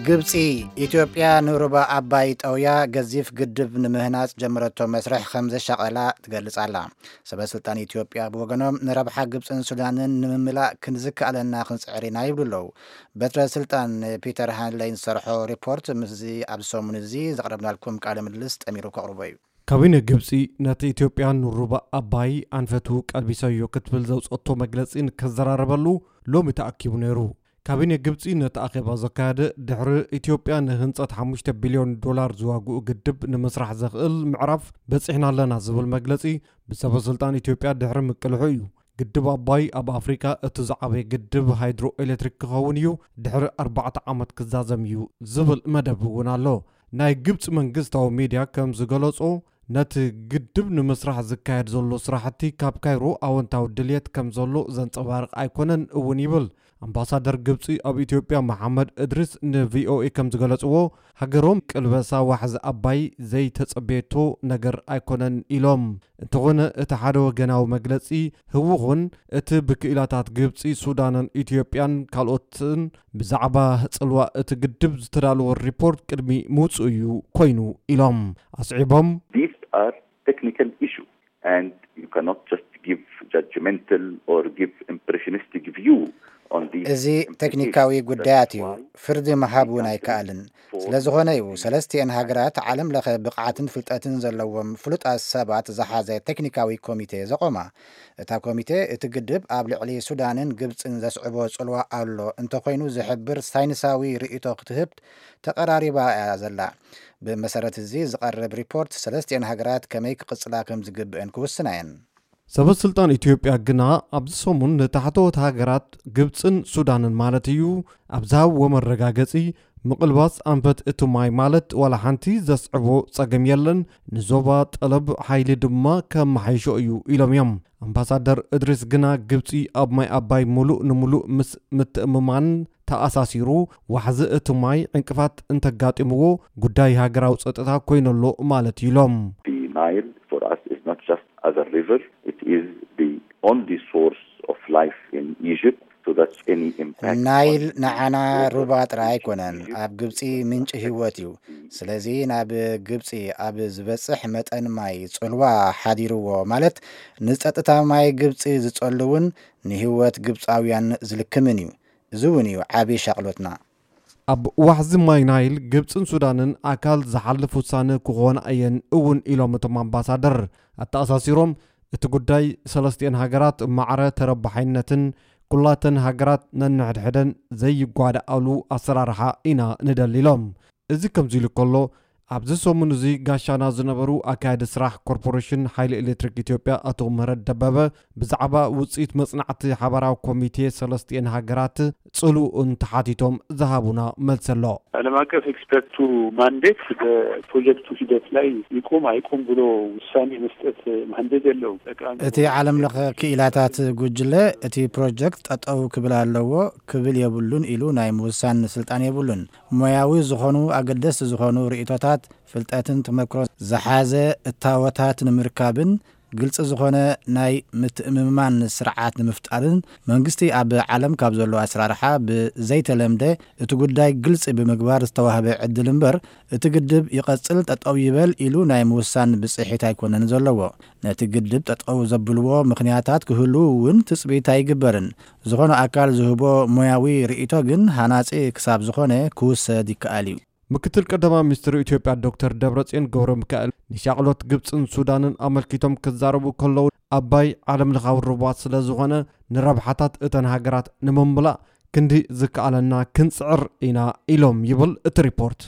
ግብጺ፣ ኢትዮጵያ ንሩባ ኣባይ ጠውያ ገዚፍ ግድብ ንምህናጽ ጀመረቶ መስርሕ ከም ዘሻቐላ ትገልጽ ኣላ። ሰበ ስልጣን ኢትዮጵያ ብወገኖም፣ ንረብሓ ግብጽን ሱዳንን ንምምላእ ክንዝከኣለና ክንጽዕር ኢና ይብሉ ኣለዉ። በትረ ስልጣን ፒተር ሃንለይ ዝሰርሖ ሪፖርት ምስዚ ኣብ ሰሙን እዚ ዘቕረብናልኩም ቃለ ምልልስ ጠሚሩ ከቕርቦ እዩ። ካቢነ ግብጺ፣ ነቲ ኢትዮጵያ ንሩባ ኣባይ ኣንፈቱ ቀልቢሰዮ ክትብል ዘውጸቶ መግለጺ ንከዘራረበሉ ሎሚ ተኣኪቡ ነይሩ። ካቢነ ግብጺ ነቲ ኣኼባ ዘካየደ ድሕሪ ኢትዮጵያ ንህንጸት ሓሙሽተ ቢልዮን ዶላር ዝዋግኡ ግድብ ንምስራሕ ዘኽእል ምዕራፍ በጺሕና ኣለና ዝብል መግለጺ ብሰበ ስልጣን ኢትዮጵያ ድሕሪ ምቅልሑ እዩ። ግድብ ኣባይ ኣብ ኣፍሪካ እቲ ዝዓበየ ግድብ ሃይድሮ ኤሌክትሪክ ክኸውን እዩ፣ ድሕሪ ኣርባዕተ ዓመት ክዛዘም እዩ ዝብል መደብ እውን ኣሎ። ናይ ግብጺ መንግስታዊ ሚድያ ከም ዝገለጾ፣ ነቲ ግድብ ንምስራሕ ዝካየድ ዘሎ ስራሕቲ ካብ ካይሮ ኣወንታዊ ድልየት ከም ዘሎ ዘንጸባርቕ ኣይኮነን እውን ይብል። ኣምባሳደር ግብጺ ኣብ ኢትዮጵያ መሓመድ እድሪስ ንቪኦኤ ከም ዝገለጽዎ፣ ሃገሮም ቅልበሳ ዋሕዚ ኣባይ ዘይተጸበየቶ ነገር ኣይኮነን ኢሎም። እንተኾነ እቲ ሓደ ወገናዊ መግለጺ ህውኹን እቲ ብክኢላታት ግብጺ፣ ሱዳንን ኢትዮጵያን ካልኦትን ብዛዕባ ጽልዋ እቲ ግድብ ዝተዳለወ ሪፖርት ቅድሚ ምውጽኡ እዩ ኮይኑ ኢሎም። ኣስዒቦም፣ These are technical issue and you cannot just give judgmental or give impressionistic view on these እዚ implications. ቴክኒካዊ ጉዳያት እዩ። That's why ፍርዲ ምሃብ እውን ኣይከኣልን። ስለ ዝኾነ እዩ ሰለስቲኤን ሃገራት ዓለም ለኸ ብቕዓትን ፍልጠትን ዘለዎም ፍሉጣት ሰባት ዝሓዘ ቴክኒካዊ ኮሚቴ ዘቖማ። እታ ኮሚቴ እቲ ግድብ ኣብ ልዕሊ ሱዳንን ግብጽን ዘስዕቦ ጽልዋ ኣሎ እንተኾይኑ ዝሕብር ሳይንሳዊ ርእይቶ ክትህብ ተቐራሪባ እያ ዘላ። ብመሰረት እዚ ዝቐርብ ሪፖርት ሰለስቲኤን ሃገራት ከመይ ክቕጽላ ከም ዝግብአን ክውስና እየን። ሰበ ስልጣን ኢትዮጵያ ግና ኣብዚ ሰሙን ንታሕተዎት ሃገራት ግብጽን ሱዳንን ማለት እዩ ኣብ ዝሃብዎ መረጋገጺ ምቕልባስ ኣንፈት እቲ ማይ ማለት ዋላ ሓንቲ ዘስዕቦ ጸገም የለን፣ ንዞባ ጠለብ ሓይሊ ድማ ከመሓይሾ እዩ ኢሎም እዮም። ኣምባሳደር እድሪስ ግና ግብጺ ኣብ ማይ ኣባይ ሙሉእ ንሙሉእ ምስ ምትእምማን ተኣሳሲሩ ዋሕዚ እቲ ማይ ዕንቅፋት እንተጋጢምዎ ጉዳይ ሃገራዊ ጸጥታ ኮይነሎ ማለት እዩ ኢሎም። The Nile for us is not just as a river, it is the only source of life in Egypt. So that any impact ናይል on ንዓና Egypt ሩባ ጥራይ is ኣይኮነን፣ Egypt ኣብ ግብጺ ምንጪ ህይወት እዩ። ስለዚ ናብ ግብጺ ኣብ ዝበጽሕ መጠን ማይ ጽልዋ ሓዲርዎ ማለት ንጸጥታ ማይ ግብጺ ዝጸሉ እውን ንህይወት ግብጻውያን ዝልክምን እዩ። እዚ እውን እዩ ዓቢ ሻቕሎትና። ኣብ ዋሕዚ ማይ ናይል ግብጽን ሱዳንን ኣካል ዝሓልፍ ውሳነ ክኾና እየን እውን ኢሎም እቶም ኣምባሳደር። ኣተኣሳሲሮም እቲ ጉዳይ ሰለስቲኤን ሃገራት ማዕረ ተረባሓይነትን ኩላተን ሃገራት ነንሕድሕደን ዘይጓዳኣሉ ኣሰራርሓ ኢና ንደሊ ኢሎም። እዚ ከምዚ ኢሉ ከሎ ኣብዚ ሰሙን እዚ ጋሻና ዝነበሩ ኣካያዲ ስራሕ ኮርፖሬሽን ሓይሊ ኤሌክትሪክ ኢትዮጵያ ኣቶ ምህረት ደበበ ብዛዕባ ውፅኢት መፅናዕቲ ሓበራዊ ኮሚቴ ሰለስቲኤን ሃገራት ጽሉእን ተሓቲቶም ዝሃቡና መልሲ ኣሎ። ዓለም አቀፍ ኤክስፐርቱ ማንዴት በፕሮጀክቱ ሂደት ላይ ይቁም አይቁም ብሎ ውሳኔ መስጠት ማንዴት የለውም። ጠቃሚ እቲ ዓለም ለኸ ክኢላታት ጉጅለ እቲ ፕሮጀክት ጠጠው ክብል ኣለዎ ክብል የብሉን ኢሉ ናይ ምውሳን ስልጣን የብሉን። ሞያዊ ዝኾኑ ኣገደስቲ ዝኾኑ ርእይቶታት፣ ፍልጠትን ተመክሮ ዝሓዘ እታወታት ንምርካብን ግልፂ ዝኾነ ናይ ምትእምማን ስርዓት ንምፍጣርን መንግስቲ ኣብ ዓለም ካብ ዘሎ ኣሰራርሓ ብዘይተለምደ እቲ ጉዳይ ግልፂ ብምግባር ዝተዋህበ ዕድል እምበር እቲ ግድብ ይቐፅል ጠጠው ይበል ኢሉ ናይ ምውሳን ብፅሒት ኣይኮነን ዘለዎ። ነቲ ግድብ ጠጠው ዘብልዎ ምኽንያታት ክህሉ እውን ትፅቢት ኣይግበርን። ዝኾነ ኣካል ዝህቦ ሞያዊ ርእይቶ ግን ሃናፂ ክሳብ ዝኾነ ክውሰድ ይከኣል እዩ። ምክትል ቀዳማይ ሚኒስትር ኢትዮጵያ ዶክተር ደብረጽዮን ገብረ ሚካኤል ንሻቕሎት ግብጽን ሱዳንን ኣመልኪቶም ክዛረቡ ከለዉ ኣባይ ዓለም ለኻዊ ሩባ ስለ ዝኾነ ንረብሓታት እተን ሃገራት ንምምላእ ክንዲ ዝከኣለና ክንጽዕር ኢና ኢሎም ይብል እቲ ሪፖርት።